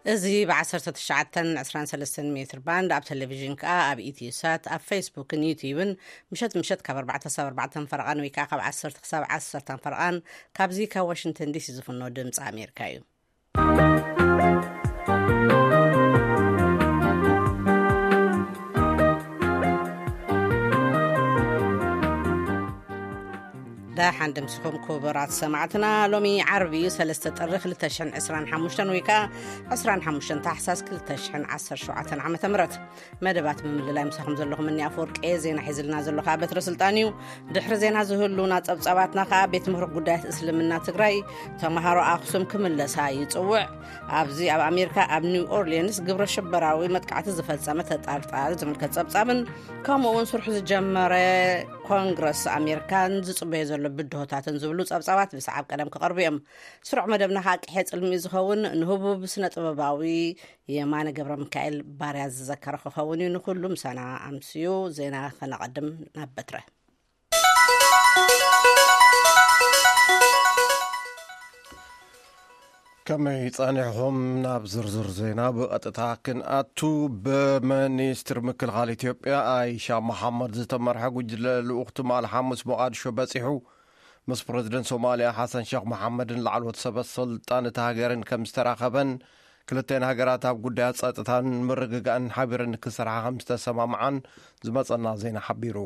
እዚ ብ19 23 ሜትር ባንድ ኣብ ቴሌቪዥን ከኣ ኣብ ኢትዮ ሳት ኣብ ፌስቡክን ዩትዩብን ምሸት ምሸት ካብ ኣርባዕተ ክሳብ ኣርባዕተ ፈረቓን ወይ ከኣ ካብ ዓሰርተ ክሳብ ዓሰርተ ፈረቓን ካብዚ ካብ ዋሽንግተን ዲሲ ዝፍኖ ድምፂ ኣሜሪካ እዩ። ደሓን ድምስኹም ክቡራት ሰማዕትና። ሎሚ ዓርቢ እዩ፣ ሰለስተ ጥሪ ክልተ ሽሕን ዕስራን ሓሙሽተን ወይ ከኣ ዕስራን ሓሙሽተን ታሕሳስ ክልተ ሽሕን ዓሰርተ ሸውዓተን ዓመተ ምህረት። መደባት ምምልላይ ምሳኹም ዘለኹም እኒ ኣፈወርቂ፣ ዜና ሒዝልና ዘሎ ከኣ በትረ ስልጣን እዩ። ድሕሪ ዜና ዝህሉና ጸብጻባትና ከኣ ቤት ምኽሪ ጉዳያት እስልምና ትግራይ ተምሃሮ ኣኽሱም ክምለሳ ይጽውዕ። ኣብዚ ኣብ ኣሜሪካ ኣብ ኒው ኦርሊንስ ግብረ ሽበራዊ መጥቃዕቲ ዝፈጸመ ተጠርጣሪ ዝምልከት ጸብጻብን ከምኡ እውን ስርሑ ዝጀመረ ኮንግረስ ኣሜሪካን ዝጽበዮ ዘሎ ብድሆታትን ዝብሉ ጸብጻባት ብሰዓብ ቀደም ክቐርቡ እዮም። ስሩዕ መደብና ከኣ ቅሔ ጽልሚ ዝኸውን ንህቡብ ስነ ጥበባዊ የማነ ገብረ ሚካኤል ባርያ ዝዘከረ ክኸውን እዩ። ንኹሉ ምሳና ኣምስዩ። ዜና ከነቐድም ናብ በትረ። ከመይ ጸኒሕኹም? ናብ ዝርዝር ዜና ብቐጥታ ክንኣቱ። ብሚኒስትር ምክልኻል ኢትዮጵያ ኣይሻ መሓመድ ዝተመርሐ ጉጅለ ልኡኽ ትማል ሓሙስ ሞቓድሾ በጺሑ። ምስ ፕረዚደንት ሶማልያ ሓሰን ሸኽ መሓመድን ላዕለዎት ሰበ ስልጣን እታ ሃገርን ከም ዝተራኸበን ክልተን ሃገራት ኣብ ጉዳያት ጸጥታን ምርግጋእን ሓቢረን ክሰርሓ ከም ዝተሰማምዓን ዝመጸና ዜና ሓቢሩ።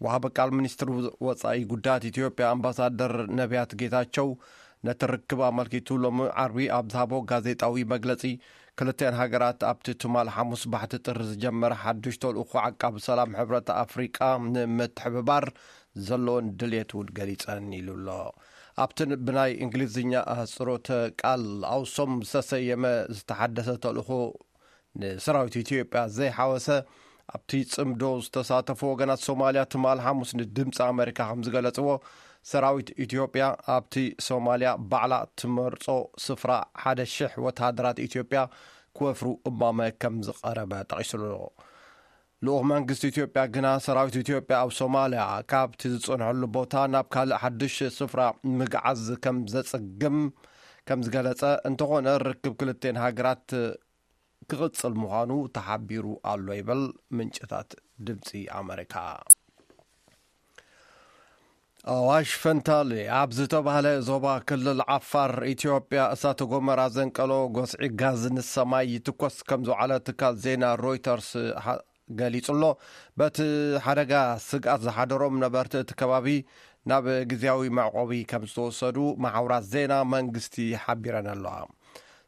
ወሃቢ ቃል ሚኒስትር ወጻኢ ጉዳያት ኢትዮጵያ ኣምባሳደር ነቢያት ጌታቸው ነቲ ርክብ ኣመልኪቱ ሎሚ ዓርቢ ኣብ ዝሃቦ ጋዜጣዊ መግለጺ፣ ክልተን ሃገራት ኣብቲ ትማል ሓሙስ ባሕቲ ጥሪ ዝጀመረ ሓድሽ ተልእኾ ዓቃቢ ሰላም ሕብረት ኣፍሪቃ ንምትሕብባር ዘለዎን ድልየት እውን ገሊጸን ኢሉ ኣሎ። ኣብቲ ብናይ እንግሊዝኛ ኣህጽሮተ ቃል ኣውሶም ዝተሰየመ ዝተሓደሰ ተልእኾ ንሰራዊት ኢትዮጵያ ዘይሓወሰ ኣብቲ ጽምዶ ዝተሳተፉ ወገናት ሶማልያ ትማል ሓሙስ ንድምፂ ኣመሪካ ከም ዝገለጽዎ፣ ሰራዊት ኢትዮጵያ ኣብቲ ሶማልያ ባዕላ ትመርጾ ስፍራ ሓደ ሽሕ ወተሃደራት ኢትዮጵያ ክወፍሩ እማመ ከም ዝቐረበ ጠቒሱሉ። ልኡኽ መንግስቲ ኢትዮጵያ ግና ሰራዊት ኢትዮጵያ ኣብ ሶማልያ ካብቲ ዝጸንሐሉ ቦታ ናብ ካልእ ሓድሽ ስፍራ ምግዓዝ ከም ዘጸግም ከም ዝገለጸ፣ እንተኾነ ርክብ ክልቴን ሃገራት ክቕጽል ምዃኑ ተሓቢሩ ኣሎ ይብል ምንጭታት ድምፂ ኣመሪካ። ኣዋሽ ፈንታሌ ኣብ ዝተባህለ ዞባ ክልል ዓፋር ኢትዮጵያ እሳተ ጎመራ ዘንቀሎ ጎስዒ ጋዝ ንሰማይ ይትኮስ ከም ዝውዓለ ትካል ዜና ሮይተርስ ገሊጹ ኣሎ። በቲ ሓደጋ ስግኣት ዝሓደሮም ነበርቲ እቲ ከባቢ ናብ ግዝያዊ መዕቆቢ ከም ዝተወሰዱ መሓውራት ዜና መንግስቲ ሓቢረን ኣለዋ።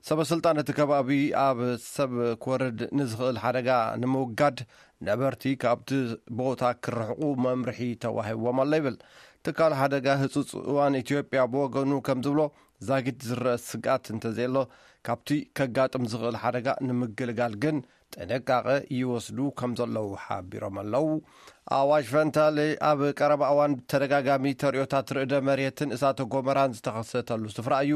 ሰበ ስልጣን እቲ ከባቢ ኣብ ሰብ ክወርድ ንዝኽእል ሓደጋ ንምውጋድ ነበርቲ ካብቲ ቦታ ክርሕቑ መምርሒ ተዋሂብዎም ኣሎ ይብል። ትካል ሓደጋ ህጹጽ እዋን ኢትዮጵያ ብወገኑ ከም ዝብሎ፣ ዛጊት ዝረአ ስግኣት እንተዘየሎ፣ ካብቲ ከጋጥም ዝኽእል ሓደጋ ንምግልጋል ግን ጥንቃቐ ይወስዱ ከም ዘለዉ ሓቢሮም ኣለዉ። ኣዋሽ ፈንታሌ ኣብ ቀረባ እዋን ብተደጋጋሚ ተርእዮታት ርእደ መሬትን እሳተ ጎመራን ዝተኸሰተሉ ስፍራ እዩ።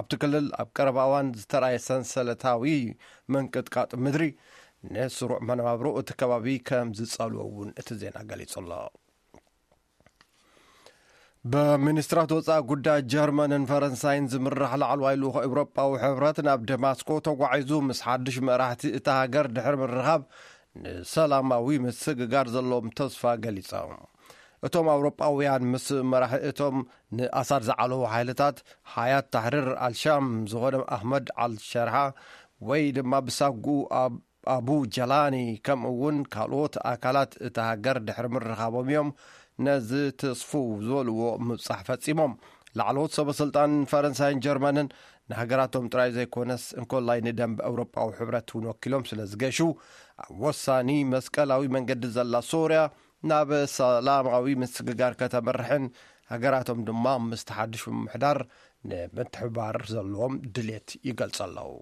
ኣብቲ ክልል ኣብ ቀረባ እዋን ዝተራየ ሰንሰለታዊ ምንቅጥቃጥ ምድሪ ንስሩዕ መነባብሮ እቲ ከባቢ ከም ዝጸልዎ እውን እቲ ዜና ገሊጹ ኣሎ። ብሚኒስትራት ወጻኢ ጉዳይ ጀርመንን ፈረንሳይን ዝምራሕ ላዕለዋይ ልኡኽ ኤውሮጳዊ ሕብረት ናብ ደማስቆ ተጓዒዙ፣ ምስ ሓድሽ መራሕቲ እታ ሃገር ድሕሪ ምርኻብ፣ ንሰላማዊ ምስግጋር ዘለዎም ተስፋ ገሊጾም። እቶም ኣውሮጳውያን ምስ መራሒ እቶም ንኣሳድ ዝዓለዉ ሓይልታት ሓያት ታሕሪር ኣልሻም ዝኾነ ኣሕመድ ኣልሸርሓ ወይ ድማ ብሳጉኡ ኣብ ኣቡ ጀላኒ፣ ከምኡ እውን ካልኦት ኣካላት እታ ሃገር ድሕሪ ምርኻቦም እዮም ነዚ ትስፉው ዝበልዎ ምብጻሕ ፈጺሞም። ላዕለዎት ሰበ ስልጣን ፈረንሳይን ጀርመንን ንሃገራቶም ጥራይ ዘይኮነስ፣ እንኮላይ ንደንበ ኤውሮጳዊ ሕብረት እውን ወኪሎም ስለ ዝገሹ፣ ኣብ ወሳኒ መስቀላዊ መንገዲ ዘላ ሶርያ ናብ ሰላማዊ ምስግጋር ከተምርሕን፣ ሃገራቶም ድማ ምስቲ ሓድሽ ምምሕዳር ንምትሕብባር ዘለዎም ድሌት ይገልጹ ኣለዉ።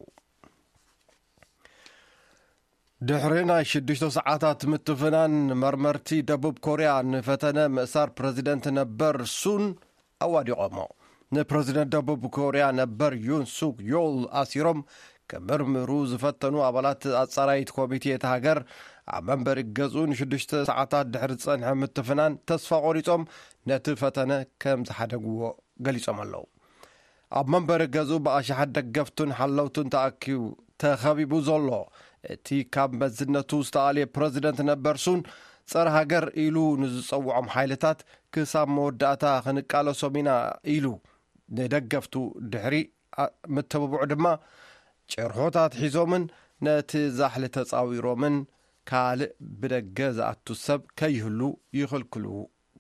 ድሕሪ ናይ ሽዱሽተ ሰዓታት ምትፍናን፣ መርመርቲ ደቡብ ኮርያ ንፈተነ ምእሳር ፕረዚደንት ነበር ሱን ኣዋዲቖሞ። ንፕረዚደንት ደቡብ ኮርያ ነበር ዩን ሱክ ዮል ኣሲሮም ክምርምሩ ዝፈተኑ ኣባላት ኣጻራይት ኮሚቴ እታ ሃገር፣ ኣብ መንበሪ ገዝኡ ንሽዱሽተ ሰዓታት ድሕሪ ዝጸንሐ ምትፍናን ተስፋ ቆሪጾም ነቲ ፈተነ ከም ዝሓደግዎ ገሊጾም ኣለዉ። ኣብ መንበሪ ገዝኡ ብኣሽሓት ደገፍቱን ሓለውቱን ተኣኪቡ፣ ተኸቢቡ ዘሎ። እቲ ካብ መዝነቱ ዝተኣልየ ፕረዚደንት ነበር ሱን፣ ጸረ ሃገር ኢሉ ንዝጸውዖም ሓይልታት ክሳብ መወዳእታ ክንቃለሶም ኢና ኢሉ፣ ንደገፍቱ ድሕሪ ኣ-፣ ምትብብዑ ድማ ጭርሖታት ሒዞምን ነቲ ዛሕሊ ተጻዊሮምን ካልእ ብደገ ዝኣቱ ሰብ ከይህሉ ይኽልክሉ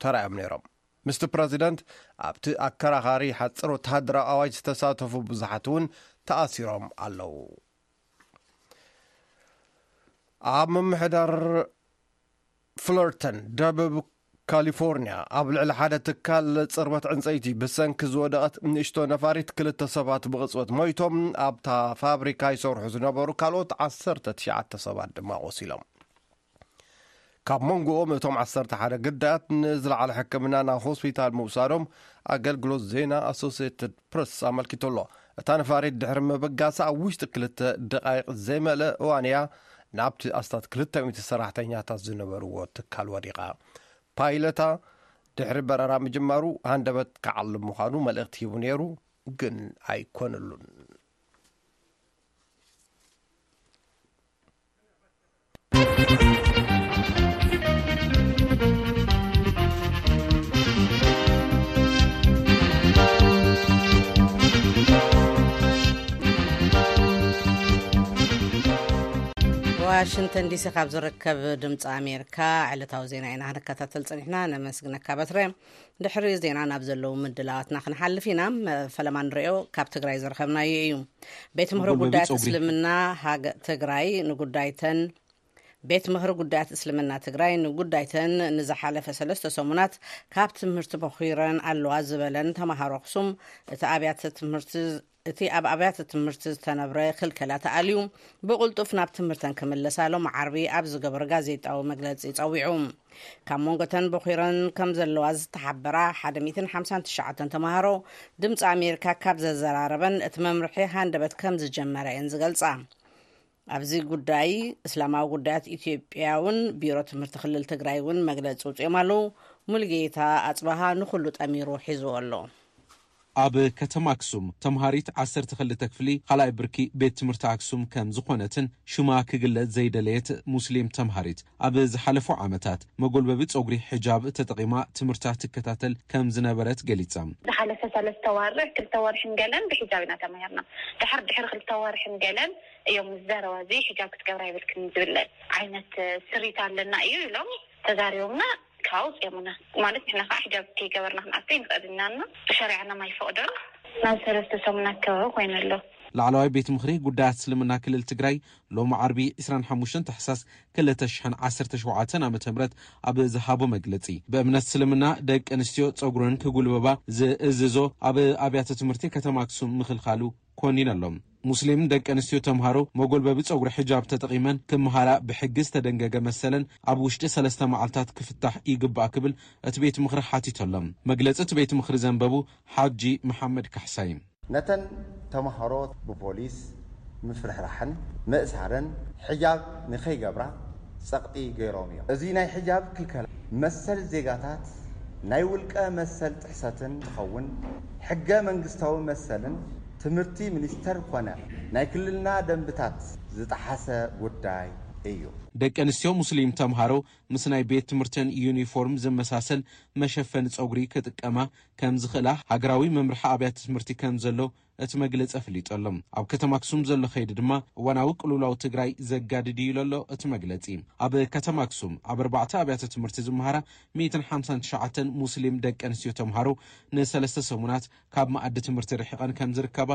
ተራእዮም ነይሮም። ምስቲ ፕረዚደንት ኣብቲ ኣከራኻሪ ሓጽር ወተሃደራዊ ኣዋጅ ዝተሳተፉ ብዙሓት እውን ተኣሲሮም ኣለዉ። ኣብ ምምሕዳር ፍለርተን ደቡብ ካሊፎርኒያ፣ ኣብ ልዕሊ ሓደ ትካል ጽርበት ዕንጸይቲ ብሰንኪ ዝወደቐት ንእሽቶ ነፋሪት ክልተ ሰባት ብቕጽበት ሞይቶም፣ ኣብታ ፋብሪካ ይሰርሑ ዝነበሩ ካልኦት ዓሰርተ ትሽዓተ ሰባት ድማ ቆሲሎም። ካብ መንጎኦም እቶም ዓሰርተ ሓደ ግዳያት ንዝለዓለ ሕክምና ናብ ሆስፒታል ምውሳዶም ኣገልግሎት ዜና ኣሶሲየትድ ፕረስ ኣመልኪቱ ኣሎ። እታ ነፋሪት ድሕሪ ምብጋሳ ኣብ ውሽጢ ክልተ ደቓይቕ ዘይመልእ እዋን እያ ናብቲ ኣስታት ክልተ ሚእቲ ሰራሕተኛታት ዝነበርዎ ትካል ወዲቓ። ፓይለታ ድሕሪ በረራ ምጅማሩ ሃንደበት ክዓልብ ምዃኑ መልእኽቲ ሂቡ ነይሩ፣ ግን ኣይኮነሉን። ዋሽንግተን ዲሲ ካብ ዝርከብ ድምፂ ኣሜሪካ ዕለታዊ ዜና ኢና ክንከታተል ፀኒሕና። ነመስግነካ በትረ። ድሕሪ ዜና ናብ ዘለዉ ምድላዋትና ክንሓልፍ ኢና። ፈለማ ንሪኦ ካብ ትግራይ ዝረኸብናዮ እዩ። ቤት ምኽሪ መጎልበቢ ጉዳያት ጸጉሪ። እስልምና ሃገ-፣ ትግራይ ንጉዳይተን ቤት ምኽሪ ጉዳያት እስልምና ትግራይ ንጉዳይተን ንዝሓለፈ ሰለስተ ሰሙናት ካብ ትምህርቲ በኺረን ኣለዋ ዝበለን ተምሃሮ ኣኽሱም፣ እቲ ኣብያተ ትምህርቲ፣ እቲ ኣብ ኣብያተ ትምህርቲ ዝተነብረ ክልከላ ተኣልዩ ብቕልጡፍ ናብ ትምህርተን ክምለሳ ሎም ዓርቢ ኣብ ዝገበረ ጋዜጣዊ መግለጺ ጸዊዑ። ካብ መንጎተን በኺረን ከም ዘለዋ ዝተሓበራ ሓደ ሚእትን ሓምሳን ትሽዓተን ተምሃሮ ድምፂ ኣሜሪካ ካብ ዘዘራረበን እቲ መምርሒ ሃንደበት ከም ዝጀመረ እየን ዝገልጻ። ኣብዚ ጉዳይ እስላማዊ ጉዳያት ኢትዮጵያ እውን ቢሮ ትምህርቲ ክልል ትግራይ እውን መግለፂ ውፅኦም ኣለዉ። ሙልጌታ ኣፅበሃ ንኹሉ ጠሚሩ ሒዝዎ ኣሎ። ኣብ ከተማ ኣክሱም ተምሃሪት ዓሰርተ ክልተ ክፍሊ ካልኣይ ብርኪ ቤት ትምህርቲ ኣክሱም ከም ዝኾነትን ሽማ ክግለጽ ዘይደለየት ሙስሊም ተምሃሪት፣ ኣብ ዝሓለፉ ዓመታት መጎልበቢ ጸጉሪ ሒጃብ ተጠቒማ ትምህርታ ትከታተል ከም ዝነበረት ገሊጻ። ዝሓለፈ ሰለስተ ወርሕ፣ ክልተ ወርሕን ገለን ብሒጃብ ኢና ተማሂርና። ድሕር፣ ድሕሪ ክልተ ወርሕን ገለን እዮም፣ "ምስ ዘረባ እዚ ሒጃብ ክትገብራ ይብልክን" ዝብል ዓይነት ስሪት ኣለና እዩ ኢሎም ተዛሪቦምና። ካብ ኣውፅኦምና ማለት ንሕና ከዓ ሒጃብ ከይገበርና ክንኣቱ ይንኽእል ኢና እና ብሸሪዓና ኣይፈቕዶን። ናብ ሰለስተ ሰሙን ኣከባቢ ኮይኑ ኣሎ። ላዕለዋይ ቤት ምኽሪ ጉዳያት እስልምና ክልል ትግራይ ሎሚ ዓርቢ ዕስራን ሓሙሽተን ታሕሳስ ክልተ ሽሕን ዓሰርተ ሸውዓተን ዓመተ ምህረት ኣብ ዝሃቦ መግለጺ፣ ብእምነት እስልምና ደቂ ኣንስትዮ ጸጉረን ክጉልበባ ዝእዝዞ ኣብ ኣብያተ ትምህርቲ ከተማ ኣክሱም ምኽልካሉ ኮኒኑ ኣሎ። ሙስሊም ደቂ ኣንስትዮ ተምሃሮ መጎልበቢ ጸጉሪ ሒጃብ ተጠቒመን ክመሃራ ብሕጊ ዝተደንገገ መሰለን ኣብ ውሽጢ ሰለስተ መዓልታት ክፍታሕ ይግባእ ክብል እቲ ቤት ምኽሪ ሓቲቱ ኣሎ። መግለጺ እቲ ቤት ምኽሪ ዘንበቡ ሓጂ መሓመድ ካሕሳይ። ነተን ተምሃሮ ብፖሊስ ምፍርሕራሕን ምእሳርን ሒጃብ ንኸይገብራ ጸቕጢ ገይሮም እዮም። እዚ ናይ ሒጃብ ክልከላ መሰል ዜጋታት ናይ ውልቀ መሰል ጥሕሰትን እንትኸውን፣ ሕገ መንግስታዊ መሰልን ትምህርቲ ሚኒስተር ኮነ ናይ ክልልና ደንብታት ዝጠሓሰ ጉዳይ እዩ። ደቂ ኣንስትዮ ሙስሊም ተምሃሮ ምስ ናይ ቤት ትምህርተን ዩኒፎርም ዝመሳሰል መሸፈኒ ጸጉሪ ክጥቀማ ከም ዝኽእላ ሃገራዊ መምርሒ ኣብያተ ትምህርቲ ከም ዘሎ እቲ መግለጺ ኣፍሊጡ ኣሎ። ኣብ ከተማ ኣክሱም ዘሎ ከይዲ ድማ እዋናዊ ቅልውላው ትግራይ ዘጋድድ እዩ ኢሉ ኣሎ እቲ መግለጺ። ኣብ ከተማ ኣክሱም ኣብ ኣርባዕተ ኣብያተ ትምህርቲ ዝመሃራ ሚእትን ሓምሳን ትሽዓተን ሙስሊም ደቂ ኣንስትዮ ተምሃሮ ንሰለስተ ሰሙናት ካብ መኣዲ ትምህርቲ ርሒቐን ከም ዝርከባ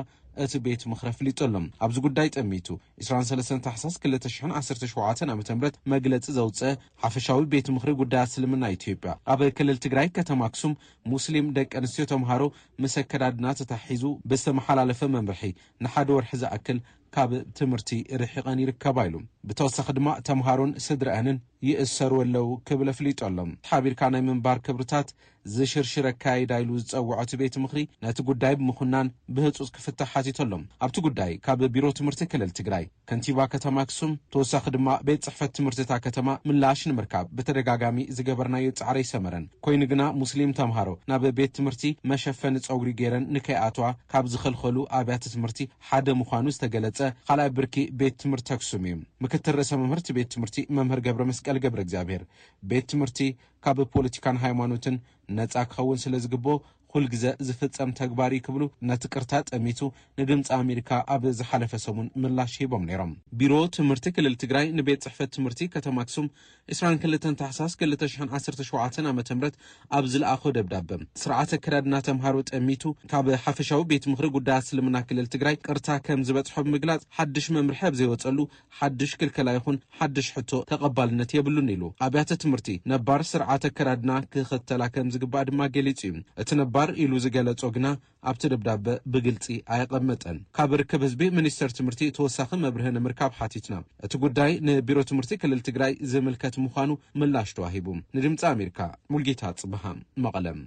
እቲ ቤት ምኽሪ ኣፍሊጡ ኣሎ። ኣብዚ ጉዳይ ጠሚቱ ዕስራን ሰለስተን ታሕሳስ ክልተ ሽሕን ዓሰርተ ሸውዓተን ዓመተ ምህረት መግለጺ ዘውፅአ ሓፈሻዊ ቤት ምኽሪ ጉዳያት እስልምና ኢትዮጵያ፣ ኣብ ክልል ትግራይ ከተማ ኣክሱም ሙስሊም ደቂ ኣንስትዮ ተምሃሮ ምስ ኣከዳድና ተታሒዙ ብዝተመሓላለፈ መምርሒ ንሓደ ወርሒ ዝኣክል ካብ ትምህርቲ ርሒቐን ይርከባ ኢሉ። ብተወሳኺ ድማ ተምሃሮን ስድረአንን ይእሰሩ ኣለዉ ክብል ኣፍሊጡ ኣሎ። ሓቢርካ ናይ ምንባር ክብርታት ዝሽርሽር ኣካይዳ ኢሉ ዝጸውዖ እቲ ቤት ምኽሪ ነቲ ጉዳይ ብምኹናን ብህጹጽ ክፍታሕ ሓቲቱ ኣሎ። ኣብቲ ጉዳይ ካብ ቢሮ ትምህርቲ ክልል ትግራይ፣ ከንቲባ ከተማ ኣክሱም፣ ተወሳኺ ድማ ቤት ጽሕፈት ትምህርቲ እታ ከተማ ምላሽ ንምርካብ ብተደጋጋሚ ዝገበርናዮ ጻዕሪ ኣይሰመረን። ኮይኑ ግና ሙስሊም ተምሃሮ ናብ ቤት ትምህርቲ መሸፈኒ ጸጉሪ ገይረን ንከይኣትዋ ካብ ዝኸልኸሉ ኣብያተ ትምህርቲ ሓደ ምዃኑ ዝተገለጸ ካልኣይ ብርኪ ቤት ትምህርቲ ኣክሱም እዩ። ምክትል ርእሰ መምህርቲ ቤት ትምህርቲ መምህር ገብረ መስቀል ገብረ እግዚኣብሔር፣ ቤት ትምህርቲ ካብ ፖለቲካን ሃይማኖትን ነፃ ክኸውን ስለ ዝግብኦ፣ ኩልግዘ ዝፍጸም ተግባር እዩ ክብሉ ነቲ ቅርታ ጠሚቱ ንድምፂ ኣሜሪካ ኣብ ዝሓለፈ ሰሙን ምላሽ ሂቦም ነይሮም። ቢሮ ትምህርቲ ክልል ትግራይ ንቤት ጽሕፈት ትምህርቲ ከተማ ኣክሱም ዕስራን ክልተን ታሕሳስ ክልተ ሽሕን ዓሰርተ ሸውዓተን ዓመተ ምህረት ኣብ ዝለኣኾ ደብዳበ፣ ስርዓት ኣከዳድና ተምሃሮ ጠሚቱ ካብ ሓፈሻዊ ቤት ምኽሪ ጉዳያት እስልምና ክልል ትግራይ ቅርታ ከም ዝበጽሖ ብምግላጽ፣ ሓድሽ መምርሒ ኣብ ዘይወጸሉ ሓድሽ ክልከላ ይኹን ሓድሽ ሕቶ ተቐባልነት የብሉን ኢሉ። ኣብያተ ትምህርቲ ነባር ስርዓት ኣከዳድና ክኽተላ ከም ዝግባእ ድማ ገሊጹ እዩ። እቲ ነባር ኢሉ ዝገለጾ ግና ኣብቲ ደብዳበ ብግልጺ ኣየቐመጠን። ካብ ርክብ ህዝቢ ሚኒስቴር ትምህርቲ ተወሳኺ መብርሂ ንምርካብ ሓቲትና። እቲ ጉዳይ ንቢሮ ትምህርቲ ክልል ትግራይ ዝምልከት ምዃኑ ምላሽ ተዋሂቡ። ንድምፂ ኣሜሪካ፣ ሙልጌታ ጽብሃ፣ መቐለም።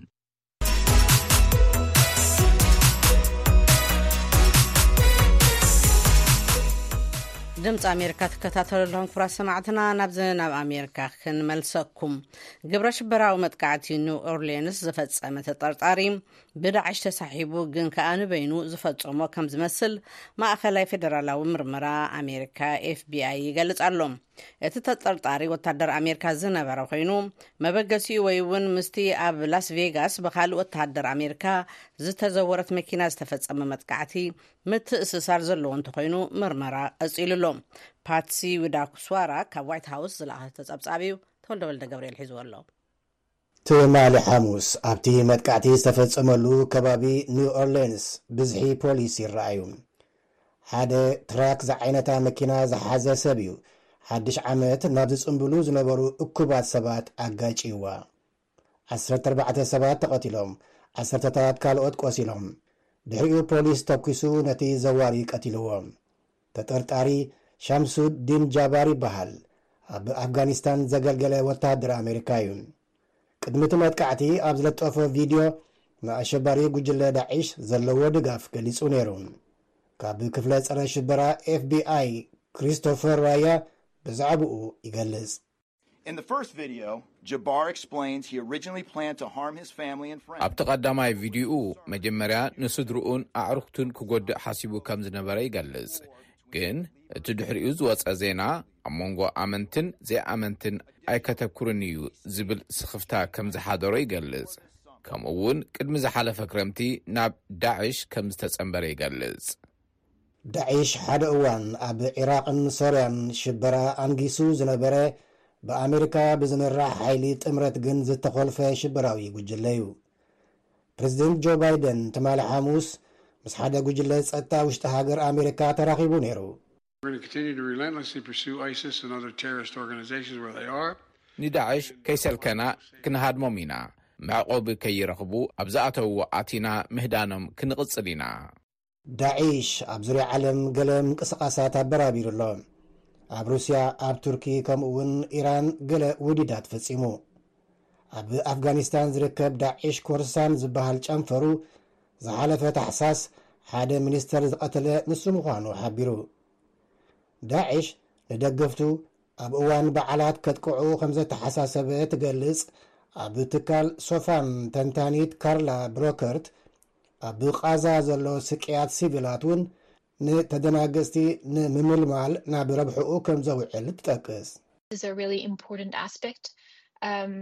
ድምፂ ኣሜሪካ ትከታተሉ ኣለኹም ክቡራት ሰማዕትና። ናብዚ ናብ ኣሜሪካ ክንመልሰኩም። ግብረ ሽበራዊ መጥቃዕቲ ኒው ኦርሊንስ ዝፈጸመ ተጠርጣሪ ብዳዕሽ ተሳሒቡ፣ ግን ከኣ ንበይኑ ዝፈጸሞ ከም ዝመስል ማእኸላይ ፌደራላዊ ምርመራ ኣሜሪካ፣ ኤፍቢኣይ፣ ይገልጽ ኣሎ። እቲ ተጠርጣሪ ወታደር ኣሜሪካ ዝነበረ ኮይኑ፣ መበገሲኡ ወይ እውን ምስቲ ኣብ ላስ ቬጋስ ብኻልእ ወታደር ኣሜሪካ ዝተዘወረት መኪና ዝተፈጸመ መጥቃዕቲ ምትእስሳር ዘለዎ እንተኾይኑ ምርመራ ቀጺሉ ኣሎ። ፓትሲ ዊዳኩስዋራ ካብ ዋይት ሃውስ ዝለኣኸቶ ጸብጻብ እዩ። ተወልደ ወልደ ገብርኤል ሒዝዎ ኣሎ። ትማሊ ሓሙስ ኣብቲ መጥቃዕቲ ዝተፈጸመሉ ከባቢ ኒው ኦርሌንስ ብዝሒ ፖሊስ ይረኣዩ። ሓደ ትራክ ዝዓይነታ መኪና ዝሓዘ ሰብ እዩ ሓድሽ ዓመት ናብ ዝጽንብሉ ዝነበሩ እኩባት ሰባት ኣጋጭይዋ። ዓሰርተ ኣርባዕተ ሰባት ተቐቲሎም፣ ዓሰርተታት ካልኦት ቆሲሎም። ድሕሪኡ ፖሊስ ተኲሱ ነቲ ዘዋሪ ቀቲልዎ። ተጠርጣሪ ሻምሱዲን ጃባር ይበሃል። ኣብ ኣፍጋኒስታን ዘገልገለ ወተሃደር ኣሜሪካ እዩ። ቅድሚ እቲ መጥቃዕቲ ኣብ ዝለጠፎ ቪድዮ፣ ንኣሸባሪ ጉጅለ ዳዒሽ ዘለዎ ድጋፍ ገሊጹ ነይሩ። ካብ ክፍለ ጸረ ሽበራ ኤፍቢኣይ ክሪስቶፈር ራያ ብዛዕባኡ ይገልጽ። In the first video, Jabbar explains he originally planned to harm his family and friends. ኣብቲ ቀዳማይ ቪድዮኡ፣ መጀመርያ ንስድርኡን ኣዕሩኽቱን ክጎድእ ሓሲቡ ከም ዝነበረ ይገልጽ። ግን እቲ ድሕሪኡ ዝወጸ ዜና፣ ኣብ መንጎ ኣመንትን ዘይኣመንትን ኣይከተኩርን እዩ ዝብል ስኽፍታ ከም ዝሓደሮ ይገልጽ። ከምኡ እውን ቅድሚ ዝሓለፈ ክረምቲ ናብ ዳዕሽ ከም ዝተጸንበረ ይገልጽ። ዳዒሽ ሓደ እዋን ኣብ ዒራቕን ሶርያን ሽበራ ኣንጊሱ ዝነበረ፣ ብኣሜሪካ ብዝምራሕ ሓይሊ ጥምረት ግን ዝተኾልፈ ሽበራዊ ጉጅለ እዩ። ፕሬዚደንት ጆ ባይደን ትማሊ ሓሙስ ምስ ሓደ ጉጅለ ጸጥታ ውሽጢ ሃገር ኣሜሪካ ተራኺቡ ነይሩ። We're going to continue to relentlessly pursue ISIS and other terrorist organizations where they are. ንዳዕሽ ከይሰልከና ክንሃድሞም ኢና። መዕቆቢ ከይረኽቡ ኣብ ዝኣተውዎ ኣቲና ምህዳኖም ክንቕጽል ኢና። ዳዒሽ ኣብ ዙርያ ዓለም ገለ ምንቅስቓሳት ኣበራቢሩ ኣሎ። ኣብ ሩስያ፣ ኣብ ቱርኪ፣ ከምኡ እውን ኢራን ገለ ውዲዳት ፈጺሙ። ኣብ ኣፍጋኒስታን ዝርከብ ዳዒሽ ኮርሳን ዝበሃል ጨንፈሩ፣ ዝሓለፈ ታሕሳስ ሓደ ሚኒስተር ዝቐተለ ንሱ ምዃኑ ሓቢሩ። ዳዒሽ ንደገፍቱ ኣብ እዋን በዓላት ከጥቅዑ ከም ዘተሓሳሰበ ትገልጽ ኣብ ትካል ሶፋን ተንታኒት ካርላ ብሮከርት፣ ኣብ ቃዛ ዘሎ ስቅያት ሲቪላት እውን ንተደናገጽቲ ንምምልማል ናብ ረብሕኡ ከም ዘውዕል ትጠቅስ። Is a really important aspect. Um,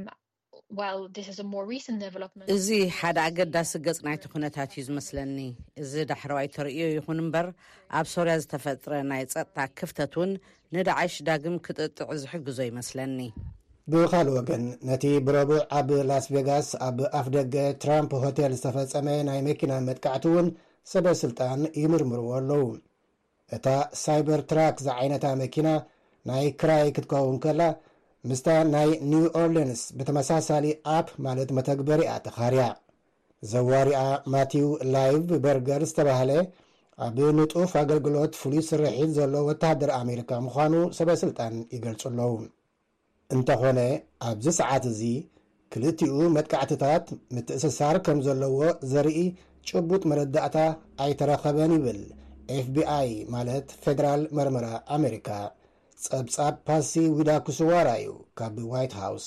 while this is a more recent development. እዚ ሓደ ኣገዳሲ ገጽ ናይቲ ኩነታት እዩ ዝመስለኒ። እዚ ዳሕረዋይ ተርእዮ ይኹን እምበር፣ ኣብ ሶርያ ዝተፈጥረ ናይ ጸጥታ ክፍተት እውን ንዳዕሽ ዳግም ክጥጥዕ ዝሕግዞ ይመስለኒ። ብኻልእ ወገን፣ ነቲ ብረቡዕ ኣብ ላስ ቬጋስ ኣብ ኣፍደገ ትራምፕ ሆቴል ዝተፈጸመ ናይ መኪና መጥቃዕቲ እውን ሰበ ስልጣን ይምርምርዎ ኣለዉ። እታ ሳይበር ትራክ ዝዓይነታ መኪና ናይ ክራይ ክትከውን ከላ፣ ምስታ ናይ ኒው ኦርሊንስ ብተመሳሳሊ ኣፕ፣ ማለት መተግበሪኣ፣ ተኻርያ። ዘዋሪኣ ማቲው ላይቭ በርገር ዝተባህለ፣ ኣብ ንጡፍ ኣገልግሎት ፍሉይ ስርሒት ዘሎ ወተሃደር ኣሜሪካ ምዃኑ ሰበ ስልጣን ይገልጹ ኣለዉ። እንተኾነ፣ ኣብዚ ሰዓት እዚ ክልቲኡ መጥቃዕትታት ምትእስሳር ከም ዘለዎ ዘርኢ ጭቡጥ መረዳእታ ኣይተረኸበን ይብል ኤፍቢኣይ፣ ማለት ፌደራል መርመራ ኣሜሪካ። ጸብጻብ ፓሲ ዊዳኩስዋራ እዩ ካብ ዋይት ሃውስ።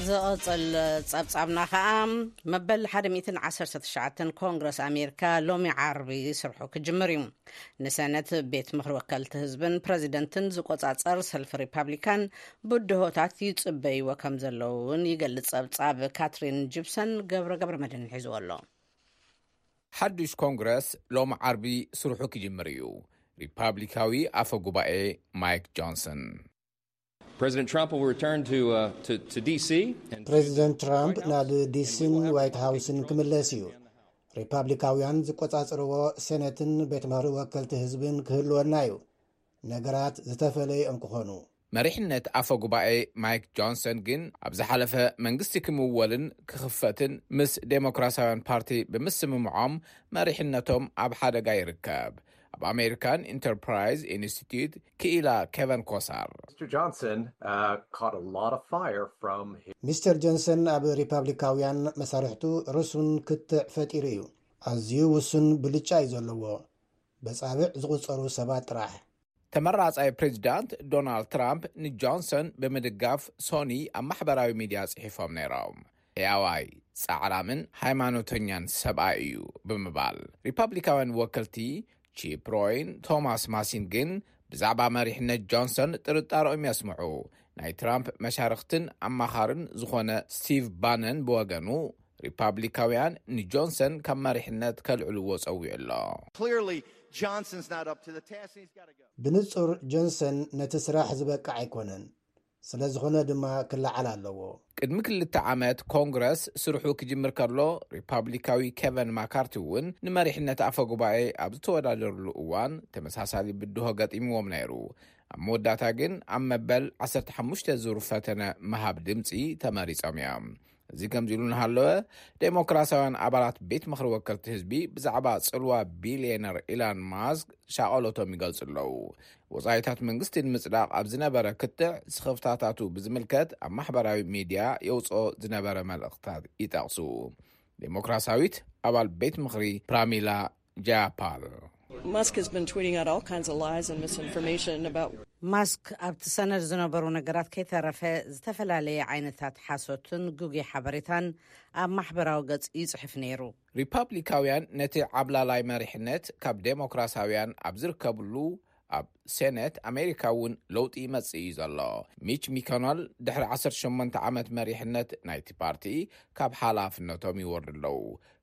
ዝቕጽል ጸብጻብና ኸኣ፣ መበል ሓደ ሚእትን ዓሰርተ ትሽዓተን ኮንግረስ ኣሜሪካ ሎሚ ዓርቢ ስርሑ ክጅምር እዩ። ንሰነት፣ ቤት ምኽሪ ወከልቲ ህዝብን ፕረዚደንትን ዝቆጻጸር ሰልፊ ሪፓብሊካን ብድሆታት ይጽበይዎ ከም ዘለዉ እውን ይገልጽ። ጸብጻብ ካትሪን ጂፕሰን። ገብረ ገብረ መድህን ሒዝዎ ኣሎ። ሓድሽ ኮንግረስ ሎም ዓርቢ ስርሑ ክጅምር እዩ። ሪፓብሊካዊ ኣፈ ጉባኤ ማይክ ጆንሰን። President Trump will return to, uh, to, to D C and ፕሬዚደንት ትራምፕ ናብ ዲሲን ዋይት ሃውስን ክምለስ እዩ። ሪፓብሊካውያን ዝቆጻጸርዎ ሴኔትን ቤት ምኽሪ ወከልቲ ህዝብን ክህልወና እዩ። ነገራት ዝተፈለየ እዮም ክኾኑ። መሪሕነት ኣፈ ጉባኤ ማይክ ጆንሰን ግን፣ ኣብ ዝሓለፈ መንግስቲ ክምወልን ክኽፈትን ምስ ዴሞክራሲያውያን ፓርቲ ብምስምምዖም፣ መሪሕነቶም ኣብ ሓደጋ ይርከብ። ኣብ ኣሜሪካን ኢንተርፕራይዝ ኢንስቲትዩት ክኢላ ኬቨን ኮሳር። Mr. Johnson, uh, caught a lot of fire from his ሚስተር ጆንሰን ኣብ ሪፓብሊካውያን መሳርሕቱ ርሱን ክትዕ ፈጢሩ እዩ። ኣዝዩ ውሱን ብልጫ እዩ ዘለዎ። በጻብዕ ዝቑጸሩ ሰባት ጥራሕ። ተመራጻይ ፕሬዚዳንት ዶናልድ ትራምፕ ንጆንሰን ብምድጋፍ ሶኒ ኣብ ማሕበራዊ ሚድያ ጽሒፎም ነይሮም። ሕያዋይ፣ ጻዕራምን ሃይማኖተኛን ሰብኣይ እዩ ብምባል፣ ሪፓብሊካውያን ወከልቲ ቺፕ ሮይን ቶማስ ማሲን ግን ብዛዕባ መሪሕነት ጆንሰን ጥርጣረኦም የስምዑ። ናይ ትራምፕ መሻርኽትን ኣማኻርን ዝኾነ ስቲቭ ባነን ብወገኑ፣ ሪፓብሊካውያን ንጆንሰን ካብ መሪሕነት ከልዕልዎ ጸዊዑ ኣሎ። Clearly, Johnson's not up to the task and he's got to go. ብንጹር ጆንሰን ነቲ ስራሕ ዝበቅዕ ኣይኮነን። ስለ ዝኾነ ድማ ክለዓል ኣለዎ። ቅድሚ ክልተ ዓመት ኮንግረስ ስርሑ ክጅምር ከሎ፣ ሪፓብሊካዊ ኬቨን ማካርቲ እውን ንመሪሕነት ኣፈ ጉባኤ ኣብ ዝተወዳደርሉ እዋን ተመሳሳሊ ብድሆ ገጢምዎም ነይሩ። ኣብ መወዳእታ ግን ኣብ መበል ዓሰርተ ሓሙሽተ ዙር ፈተነ ምሃብ ድምጺ ተመሪጾም እዮም። እዚ ከምዚ ኢሉ እናሃለወ፣ ዴሞክራሲያውያን ኣባላት ቤት ምኽሪ ወከልቲ ህዝቢ ብዛዕባ ጽልዋ ቢልየነር ኢላን ማስክ ሻቐሎቶም ይገልጹ ኣለዉ። ወጻኢታት መንግስቲ ንምጽዳቕ ኣብ ዝነበረ ክትዕ፣ ስኽፍታታቱ ብዝምልከት ኣብ ማሕበራዊ ሚድያ የውጽኦ ዝነበረ መልእኽታት ይጠቕሱ። ዴሞክራሲያዊት ኣባል ቤት ምኽሪ ፕራሚላ ጃያፓል። Musk has been tweeting out all kinds of lies and misinformation about ማስክ ኣብቲ ሰነድ ዝነበሩ ነገራት ከይተረፈ ዝተፈላለየ ዓይነታት ሓሶትን ግጉይ ሓበሬታን ኣብ ማሕበራዊ ገጽ ይጽሕፍ ነይሩ። ሪፓብሊካውያን ነቲ ዓብላላይ መሪሕነት ካብ ዴሞክራሲያውያን ኣብ ዝርከብሉ ኣብ ሴኔት ኣሜሪካ እውን ለውጢ ይመጽእ እዩ ዘሎ። ሚች ሚኮነል ድሕሪ ዓሰርተ ሸሞንተ ዓመት መሪሕነት ናይቲ ፓርቲ ካብ ሓላፍነቶም ይወርዱ ኣለዉ።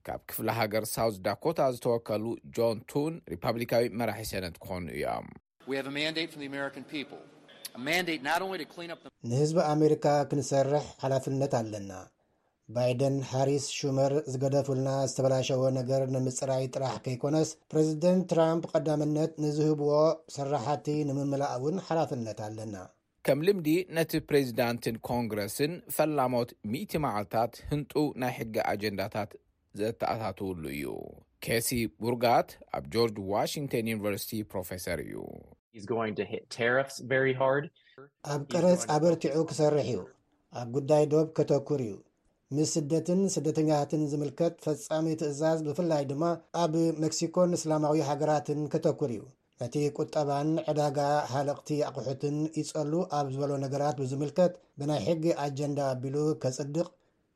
ካብ ክፍለ ሃገር ሳውዝ ዳኮታ ዝተወከሉ ጆን ቱን ሪፓብሊካዊ መራሒ ሴኔት ክኾኑ እዮም። We have a mandate from the American people, a mandate not only to clean up the ንህዝቢ ኣሜሪካ ክንሰርሕ ሓላፍነት ኣለና። ባይደን፣ ሃሪስ፣ ሹመር ዝገደፉልና ዝተበላሸወ ነገር ንምጽራይ ጥራሕ ከይኮነስ፣ ፕሬዚደንት ትራምፕ ቀዳምነት ንዝህብዎ ስራሓቲ ንምምላእ እውን ሓላፍነት ኣለና። ከም ልምዲ፣ ነቲ ፕሬዚዳንትን ኮንግረስን ፈላሞት ሚእቲ መዓልታት ህንጡ ናይ ሕጊ ኣጀንዳታት ዘተኣታትውሉ እዩ። ኬሲ ቡርጋት ኣብ ጆርጅ ዋሽንግተን ዩኒቨርሲቲ ፕሮፌሰር እዩ። He's going to hit tariffs very hard. ኣብ ቀረጽ ኣበርቲዑ ክሰርሕ እዩ። ኣብ ጉዳይ ዶብ ከተኩር እዩ። ምስ ስደትን ስደተኛታትን ዝምልከት ፈጻሚ ትእዛዝ፣ ብፍላይ ድማ ኣብ ሜክሲኮን እስላማዊ ሃገራትን ከተኩር እዩ። ነቲ ቁጠባን ዕዳጋ ሃለቕቲ ኣቑሑትን ይጸሉ ኣብ ዝበሎ ነገራት ብዝምልከት፣ ብናይ ሕጊ ኣጀንዳ ኣቢሉ ከጽድቕ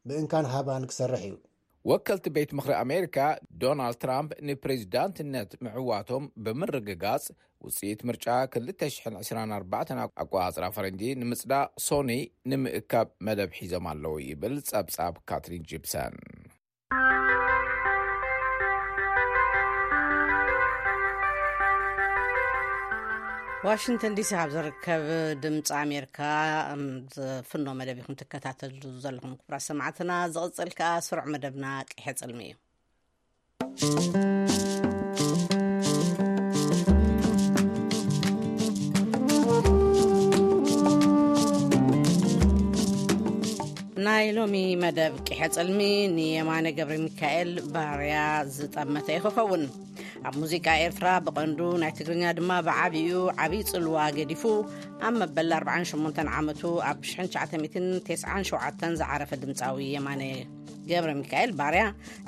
ብእንካን ሃባን ክሰርሕ እዩ። ወከልቲ ቤት ምኽሪ ኣሜሪካ፣ ዶናልድ ትራምፕ ንፕሬዚዳንትነት ምዕዋቶም ብምርግጋጽ፣ ውጽኢት ምርጫ ክልተ ሽሕን ዕስራን ኣርባዕተን ኣቆጻጽራ ፈረንጂ ንምጽዳቕ ሶኒ ንምእካብ መደብ ሒዞም ኣለዉ ይብል ጸብጻብ ካትሪን ጂፕሰን። ዋሽንግተን ዲሲ ካብ ዝርከብ ድምፂ ኣሜሪካ፣ እም፣ ዝፍኖ መደብ ኢኹም ትከታተሉ ዘለኹም ክቡራት ሰማዕትና። ዝቕፅል ከኣ ስሩዕ መደብና ቅሐ ጽልሚ እዩ። ናይ ሎሚ መደብ ቅሐ ጽልሚ ንየማነ ገብረ ሚካኤል ባርያ ዝጠመተ እዩ ክኸውን። ኣብ ሙዚቃ ኤርትራ ብቐንዱ ናይ ትግርኛ ድማ ብዓቢኡ ዓብዪ ጽልዋ ገዲፉ ኣብ መበል ኣርባዓን ሸሞንተን ዓመቱ ኣብ ሽሕን ትሽዓተ ሚእትን ተስዓን ሸውዓተን ዝዓረፈ ድምጻዊ የማነ ገብረ ሚካኤል ባርያ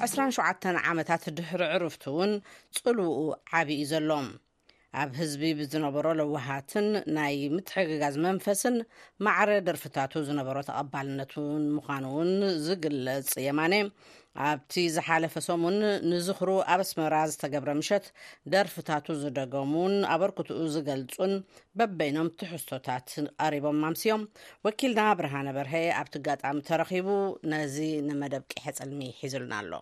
ዕስራን ሸውዓተን ዓመታት ድሕሪ ዕርፍቱ እውን ጽልውኡ ዓቢ እዩ ዘሎ። ኣብ ህዝቢ ብዝነበሮ ለዋሃትን ናይ ምትሕግጋዝ መንፈስን ማዕረ ደርፍታቱ ዝነበሮ ተቐባልነት እውን ምዃኑ እውን ዝግለጽ የማነ፣ ኣብቲ ዝሓለፈ ሰሙን ንዝኽሩ ኣብ ኣስመራ ዝተገብረ ምሸት ደርፍታቱ ዝደገሙን ኣበርክትኡ ዝገልጹን በበይኖም ትሕዝቶታት ቀሪቦም ኣምስዮም። ወኪልና ብርሃነ በርሀ ኣብቲ ኣጋጣሚ ተረኺቡ ነዚ ንመደብ ቂሐ ጽልሚ ሒዙልና ኣሎ።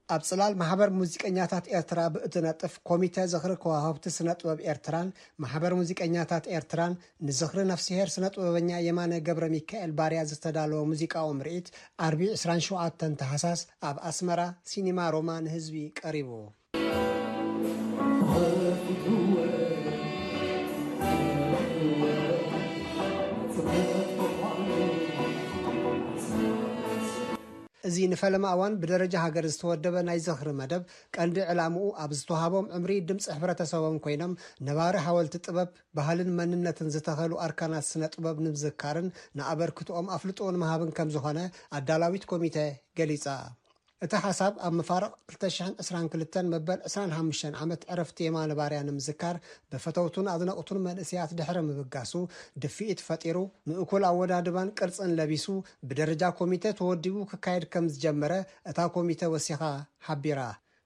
ኣብ ጽላል ማሕበር ሙዚቀኛታት ኤርትራ ብእትነጥፍ ኮሚተ ዝኽሪ ከዋኽብቲ ስነ ጥበብ ኤርትራን ማሕበር ሙዚቀኛታት ኤርትራን ንዝኽሪ ነፍስሄር ስነ ጥበበኛ የማነ ገብረ ሚካኤል ባርያ ዝተዳለወ ሙዚቃዊ ምርኢት ዓርቢ ዕስራን ሸውዓተን ታሕሳስ ኣብ ኣስመራ ሲኒማ ሮማ ንህዝቢ ቀሪቡ። እዚ ንፈለማ እዋን ብደረጃ ሃገር ዝተወደበ ናይ ዝኽሪ መደብ ቀንዲ ዕላምኡ ኣብ ዝተዋህቦም ዕምሪ ድምፂ ሕብረተሰቦም ኮይኖም ነባሪ ሓወልቲ ጥበብ፣ ባህልን መንነትን ዝተኸሉ ኣርካናት ስነ ጥበብ ንምዝካርን ንኣበርክትኦም ኣፍልጦ ንምሃብን ከም ዝኾነ ኣዳላዊት ኮሚተ ገሊጻ። እቲ ሓሳብ ኣብ መፋርቕ ክልተ ሽሕን ዕስራን ክልተን መበል ዕስራን ሓሙሽተን ዓመት ዕረፍቲ የማነ ባርያ ንምዝካር ብፈተውቱን ኣድነቕቱን መንእሰያት ድሕሪ ምብጋሱ ድፍኢት ፈጢሩ፣ ምእኩል ኣወዳድባን ቅርጽን ለቢሱ ብደረጃ ኮሚተ ተወዲቡ ክካየድ ከም ዝጀመረ እታ ኮሚተ ወሲኻ ሓቢራ።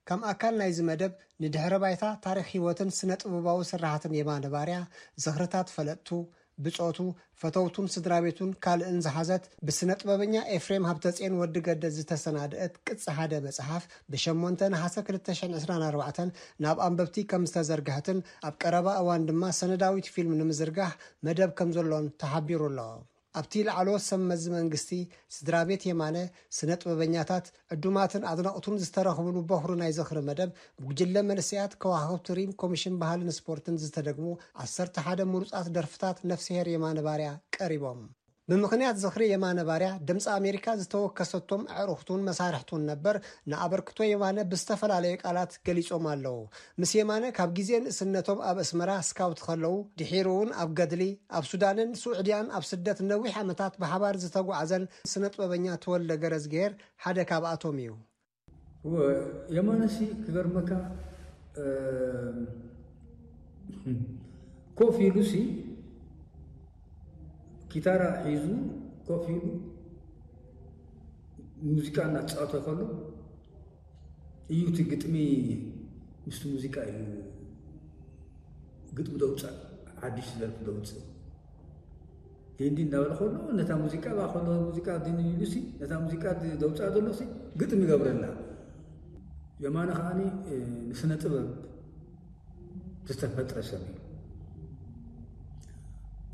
ከም ኣካል ናይዚ መደብ ንድሕረ ባይታ ታሪኽ ህይወትን ስነ ጥበባዊ ስራሓትን የማነ ባርያ፣ ዝኽርታት ፈለጥቱ፣ ብጾቱ፣ ፈተውቱን ስድራ ቤቱን ካልእን ዝሓዘት ብስነ ጥበበኛ ኤፍሬም ሃብተጽዮን ወዲ ገደ ዝተሰናድአት ቅጽ ሓደ መጽሓፍ ብሸሞንተ ነሓሰ ክልተ ሽሕን ዕስራን ኣርባዕተን ናብ ኣንበብቲ ከም ዝተዘርግሐትን ኣብ ቀረባ እዋን ድማ ሰነዳዊት ፊልም ንምዝርጋሕ መደብ ከም ዘሎን ተሓቢሩ ኣሎ። ኣብቲ ላዕለዎት ሰብ መዚ መንግስቲ፣ ስድራ ቤት የማነ፣ ስነ ጥበበኛታት፣ ዕዱማትን ኣድነቕቱን ዝተረኽብሉ በኹሪ ናይ ዝኽሪ መደብ ብጉጅለ መንእሰያት ከዋኽብቲ ሪም ኮሚሽን ባህልን ስፖርትን ዝተደግሙ ዓሰርተ ሓደ ምሩጻት ደርፍታት ነፍስሄር የማነ ባርያ ቀሪቦም። ብምኽንያት ዝኽሪ የማነ ባርያ ድምፂ ኣሜሪካ ዝተወከሰቶም ኣዕሩኽቱን መሳርሕቱን ነበር ንኣበርክቶ የማነ ብዝተፈላለየ ቃላት ገሊጾም ኣለዉ። ምስ የማነ ካብ ግዜ ንእስነቶም ኣብ ኣስመራ ስካውት ከለዉ፣ ድሒሩ እውን ኣብ ገድሊ፣ ኣብ ሱዳንን ስዑድያን ኣብ ስደት ነዊሕ ዓመታት ብሓባር ዝተጓዕዘን ስነ ጥበበኛ ተወልደ ገረዝግሄር ሓደ ካብኣቶም እዩ። እወ፣ የማነሲ ክገርመካ፣ እ፣ ኮፍ ኢሉሲ ኪታራ ሒዙ ኮፍ ኢሉ ሙዚቃ እናተጻወተ ከሎ እዩ እቲ ግጥሚ፣ ምስቲ ሙዚቃ እዩ ግጥሚ ደውጻእ፣ ሓድሽ ደርፊ ደውጽእ። ሂንዲ እናበለ ከሎ ነታ ሙዚቃ፣ ባ ከሎ ሙዚቃ ድን ኢሉሲ ነታ ሙዚቃ ድ-፣ ደውጻእ ዘሎሲ ግጥሚ ይገብረላ። የማነ ከዓኒ፣ እ፣ ንስነ ጥበብ ዝተፈጥረ ሰብ እዩ።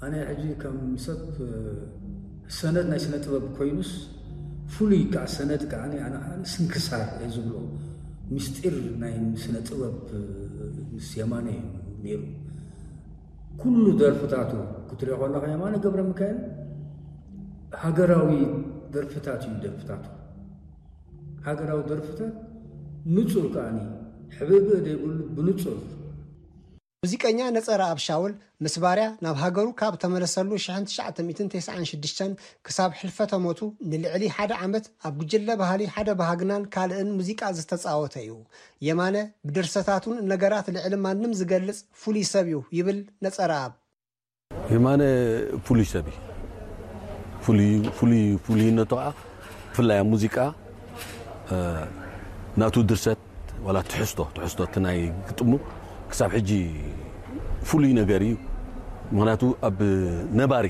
ኣነ ሕጂ ከም ሰብ፣ እ፣ ሰነድ ናይ ስነ ጥበብ ኮይኑስ፣ ፍሉይ ከዓ ሰነድ ከዓ ኣነ፣ ኣነ፣ ኣነ ስንክሳር እየ ዝብሎ። ምስጢር ናይ ስነ ጥበብ፣ እ፣ ምስ የማነ እዩ ነይሩ። ኩሉ ደርፍታቱ ክትሪኦ ከለኻ የማነ ገብረ ሚካኤል ሃገራዊ ደርፍታት እዩ ደርፍታቱ። ሃገራዊ ደርፍታት ንጹር ከዓኒ ሕብእብእ ዘይብሉ ብንጹር። ሙዚቀኛ ነጸረኣብ ሻውል ምስ ባርያ ናብ ሃገሩ ካብ ተመለሰሉ ሽሕን ትሽዓተ ሚእትን ተስዓን ሽዱሽተን ክሳብ ሕልፈተ ሞቱ ንልዕሊ ሓደ ዓመት ኣብ ጉጅለ ባህሊ ሓደ ባህግናን ካልእን ሙዚቃ ዝተጻወተ እዩ። የማነ ብድርሰታቱን ነገራት ልዕሊ ማንም ዝገልጽ ፍሉይ ሰብ እዩ ይብል ነጸረኣብ። የማነ ፍሉይ ሰብ እዩ። ፍሉይ፣ ፍሉይ፣ ፍሉይነቱ ከዓ ብፍላይ ኣብ ሙዚቃ፣ እ፣ ናቱ ድርሰት ዋላ ትሕዝቶ፣ ትሕዝቶ እቲ ናይ ግጥሙ ክሳብ ሕጂ ፍሉይ ነገር እዩ። ምኽንያቱ ኣብ ነባሪ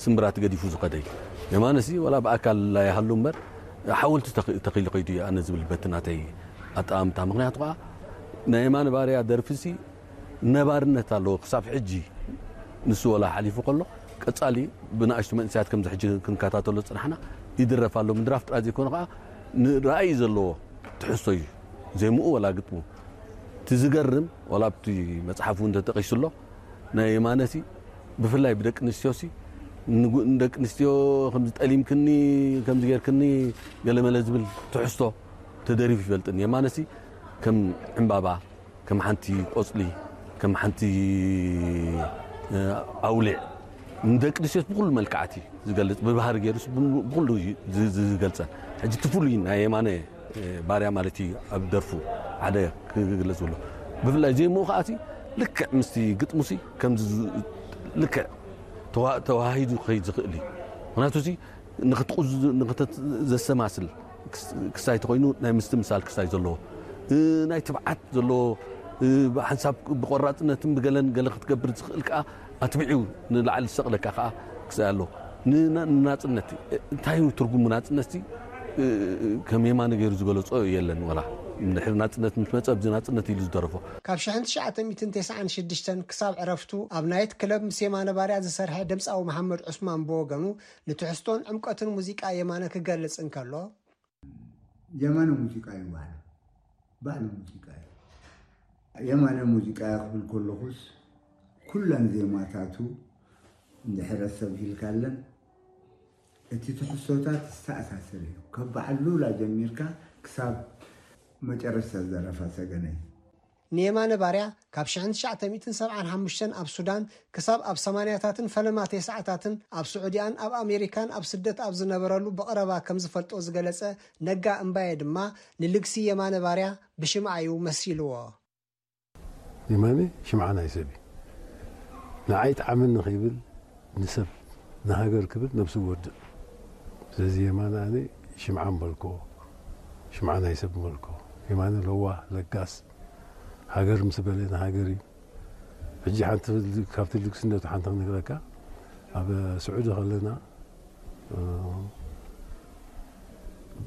ስምብራት ገዲፉ ዝኸደ እዩ። የማነሲ ዋላ ብኣካል ኣይሃሉ እምበር ሓወልቲ ተኽ-፣ ተኺሉ ከይዱ እዩ ኣነ ዝብል በቲ ናተይ ኣጠማምታ። ምኽንያቱ ከዓ ናይ የማነ ባርያ ደርፊሲ ነባርነት ኣለዎ ክሳብ ሕጂ። ንሱ ወላ ሓሊፉ ከሎ ቀጻሊ ብንኣሽቱ መንእሰያት ከምዚ ሕጂ ክንከታተሎ ዝጽናሕና ይድረፍ ኣሎ። ምድራፍ ጥራይ ዘይኮነ ከዓ ንራእይ ዘለዎ ትሕዝቶ እዩ። ዜምኡ ወላ ግጥሙ። እቲ ዝገርም ወላ ኣብቲ መጽሓፉ እውን ተጠቒሱ ኣሎ። ናይ የማነሲ ብፍላይ ብደቂ ኣንስትዮሲ ንጉ-፣ ንደቂ ኣንስትዮ ከምዚ ጠሊምክኒ፣ ከምዚ ጌርክኒ ገለመለ ዝብል ትሕዝቶ ተደሪፉ ይፈልጥን። የማነሲ ከም ዕምባባ፣ ከም ሓንቲ ቆጽሊ፣ ከም ሓንቲ፣ እ፣ ኣውሊዕ ንደቂ ኣንስትዮስ ብኹሉ መልክዓት እዩ ዝገልጽ። ብባህሪ ገይሩስ ብ-፣ ብኹሉ እዩ ዝ-፣ ዝ-፣ ዝገልጸን። ሕጂ እቲ ፍሉይ ናይ የማነ፣ እ፣ ባርያ ማለት እዩ ኣብ ደርፉ ሓደ ክግለጽ ብሎ። ብፍላይ ዜምኡ ከኣሲ ልክዕ ምስቲ ግጥሙሲ ከምዚ ዝ- ልክዕ ተዋ- ተዋሂዱ ክኸይድ ዝኽእል እዩ። ምክንያቱ እዚ ንክትቁዝ ንክተት- ዘሰማስል ክስ- ክሳይ ተኮይኑ ናይ ምስትምሳል ክሳይ ዘለዎ እ፣ ናይ ትብዓት ዘለዎ እ፣ ብሓንሳብ ብቆራፅነትን ብገለን ገለ ክትገብር ዝኽእል ከዓ ኣትቢዑ ንላዕሊ ዝሰቕለካ ከዓ ክሳይ ኣሎ። ንና- ንናፅነት እ፣ እንታይ እዩ ትርጉሙ ናፅነት እ፣ ከም የማነ ገይሩ ዝገለፆ የለን። ወላ እንድሕር ናፅነት ምስ መፀ ኣብዚ ናፅነት ኢሉ ዝደረፎ ካብ ሽሕን ትሽዓተ ሚእትን ተስዓን ሽዱሽተን ክሳብ ዕረፍቱ ኣብ ናይት ክለብ ምስ የማነ ባርያ ዝሰርሐ ድምፃዊ መሓመድ ዑስማን ብወገኑ ንትሕዝቶን ዕምቀትን ሙዚቃ የማነ ክገልጽ እንከሎ፣ የማነ ሙዚቃ እዩ ባዕሉ። ባዕሉ ሙዚቃ እዩ። የማነ ሙዚቃ ክብል ከለኹስ ኩለን ዜማታቱ እንድሕር ሰብ ሂልካለን እቲ ትሕዝቶታት ዝተኣሳሰር እዩ። ካብ በዓል ሉላ ጀሚርካ ክሳብ መጨረሽታ ዘረፋ ሰገነይ። ንየማነ ባርያ ካብ ሽሕን ትሽዓተ ሚእትን ሰብዓን ሓሙሽተን ኣብ ሱዳን ክሳብ ኣብ ሰማንያታትን ፈለማ ተስዓታትን ኣብ ስዑዲኣን ኣብ ኣሜሪካን ኣብ ስደት ኣብ ዝነበረሉ ብቐረባ ከም ዝፈልጦ ዝገለጸ ነጋ እምባየ ድማ ንልግሲ የማነ ባርያ ብሽምዓ እዩ መሲልዎ። የማነ ሽምዓ ናይ ሰብ እዩ። ንዓይ ጥዓመኒ ከይብል ንሰብ ንሃገር ክብል ነብሱ ይወድእ። ስለዚ የማነ ኣነ ሽምዓ ምበልክዎ፣ ሽምዓ ናይ ሰብ ምበልክዎ። የማነ ለዋህ ለጋስ፣ ሃገር ምስ በለ ንሃገር እዩ። ሕጂ ሓንቲ ካብቲ ልግስነቱ ሓንቲ ክነግረካ፣ ኣብ ስዑዲ ከለና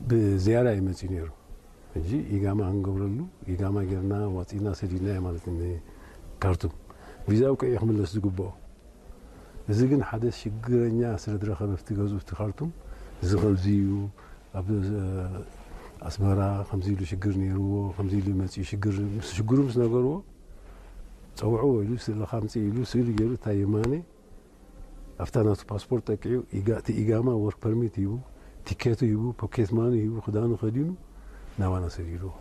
ብዝያዳ እዩ መፅዩ ነይሩ። ሕጂ ኢጋማ ክንገብረሉ ኢጋማ ጌርና ዋፂና ሰዲድናዮ ማለት እዩ ንካርቱም። ቪዛ ውቅዕ እዩ ክምለስ ዝግብኦ። እዚ ግን ሓደ ሽግረኛ ስለ ዝረኸበ ኣብቲ ገዝኡ ኣብቲ ካርቱም እዚ ከምዚ እዩ ኣብ ኣስመራ ከምዚ ኢሉ ሽግር ነይርዎ ከምዚ ኢሉ መፅኡ ሽግር ምስ ሽግሩ ምስ ነገርዎ ፀውዕዎ ኢሉ ስእልኻ ምፅእ ኢሉ ስእሊ ገይሩ እታ የማነ ኣብታ ናቱ ፓስፖርት ጠቂዑ ኢጋ- እቲ ኢጋማ ወርክ ፐርሚት ሂቡ ቲኬቱ ሂቡ ፖኬት ማኒ ሂቡ ክዳኑ ከዲኑ ናባና ሰዲድዎ።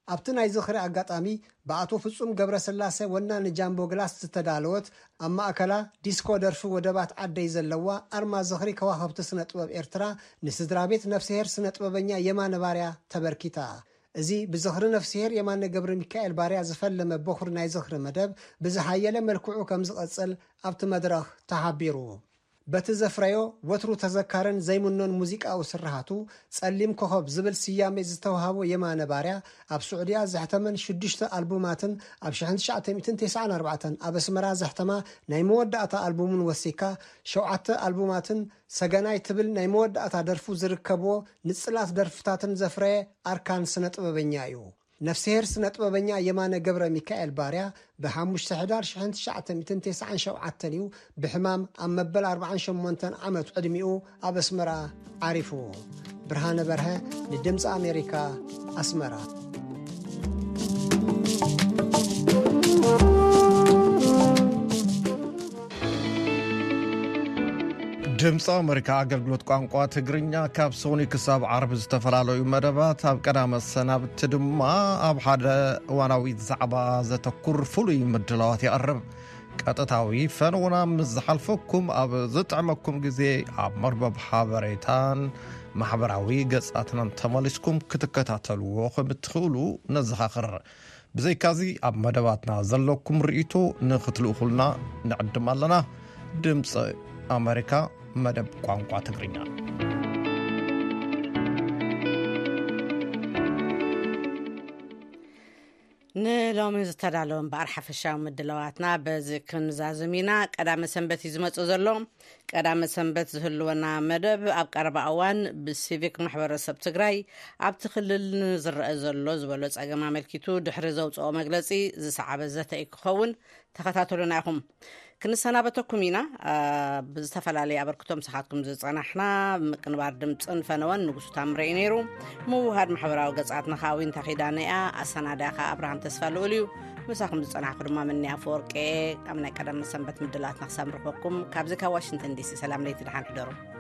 ኣብቲ ናይ ዝኽሪ ኣጋጣሚ ብኣቶ ፍጹም ገብረስላሰ ወናኒ ጃምቦ ግላስ ዝተዳለወት ኣብ ማእከላ ዲስኮ ደርፊ ወደባት ዓደይ ዘለዋ ኣርማ ዝኽሪ ከዋኽብቲ ስነ ጥበብ ኤርትራ ንስድራ ቤት ነፍስሄር ስነ ጥበበኛ የማነ ባርያ ተበርኪታ። እዚ ብዝኽሪ ነፍስሄር የማነ ገብረሚካኤል ባርያ ዝፈለመ በኹሪ ናይ ዝኽሪ መደብ ብዝሓየለ መልክዑ ከም ዝቐጽል ኣብቲ መድረኽ ተሓቢሩ። በቲ ዘፍረዮ ወትሩ ተዘካርን ዘይምኖን ሙዚቃዊ ስርሃቱ ጸሊም ኮኾብ ዝብል ስያሜ ዝተውሃቦ የማነ ባርያ ኣብ ስዑድያ ዘሕተመን ሽዱሽተ ኣልቡማትን ኣብ ሽሕን ትሽዓተ ሚእትን ተስዓን ኣርባዕተን ኣብ ኣስመራ ዘሕተማ ናይ መወዳእታ ኣልቡሙን ወሲካ ሸውዓተ ኣልቡማትን ሰገናይ ትብል ናይ መወዳእታ ደርፉ ዝርከብዎ ንጽላት ደርፍታትን ዘፍረየ ኣርካን ስነ ጥበበኛ እዩ። ነፍስሄር ስነ ጥበበኛ የማነ ገብረ ሚካኤል ባርያ ብ ሓሙሽተ ሕዳር ሽሕን ትሽዓተ ሚእትን ተስዓን ሸውዓተን እዩ ብሕማም ኣብ መበል ኣርባዓን ሸሞንተን ዓመት ዕድሚኡ ኣብ ኣስመራ ዓሪፉ። ብርሃነ በርሀ ንድምፂ ኣሜሪካ ኣስመራ። ድምፂ ኣሜሪካ ኣገልግሎት ቋንቋ ትግርኛ ካብ ሰኑይ ክሳብ ዓርቢ ዝተፈላለዩ መደባት ኣብ ቀዳመ ሰናብቲ ድማ ኣብ ሓደ እዋናዊ ዛዕባ ዘተኩር ፍሉይ ምድላዋት የቕርብ። ቀጥታዊ ፈነውና ምስ ዝሓልፈኩም ኣብ ዝጥዕመኩም ግዜ ኣብ መርበብ ሓበሬታን ማሕበራዊ ገጻትናን ተመሊስኩም ክትከታተልዎ ከም እትኽእሉ ነዘኻኽር። ብዘይካዚ ኣብ መደባትና ዘለኩም ርእይቶ ንኽትልእኹልና ንዕድም ኣለና። ድምፂ ኣመሪካ መደብ ቋንቋ ትግርኛ። ንሎሚ ዝተዳለወ እምበኣር ሓፈሻዊ ምድላዋትና በዚ ክንዛዝም ኢና። ቀዳመ ሰንበት እዩ ዝመፅእ ዘሎ። ቀዳመ ሰንበት ዝህልወና መደብ ኣብ ቀረባ እዋን ብሲቪክ ማሕበረሰብ ትግራይ ኣብቲ ክልል ንዝረአ ዘሎ ዝበሎ ፀገም ኣመልኪቱ ድሕሪ ዘውፅኦ መግለፂ ዝሰዓበ ዘተ እዩ ክኸውን። ተኸታተሉና ኢኹም። ክንሰናበተኩም ኢና። ብዝተፈላለየ ኣበርክቶ ምሳኻትኩም ዝጸናሕና ምቅንባር ድምጽን ፈነወን ንጉሱ ታምረ እዩ ነይሩ። ምውሃድ ማሕበራዊ ገጻትና ከኣ ዊንታ ኪዳነ እያ። ኣሰናዳእያ ከኣ ኣብርሃም ተስፋ ልኡል እዩ። ምሳኹም ዝጸናሕኩ ድማ ምኒ ኣፈወርቂ እየ። ኣብ ናይ ቀደም ሰንበት ምድላትና ክሳብ ንረኽበኩም ካብዚ ካብ ዋሽንግተን ዲሲ ሰላም ለይቲ ደሓን ሕደሩ።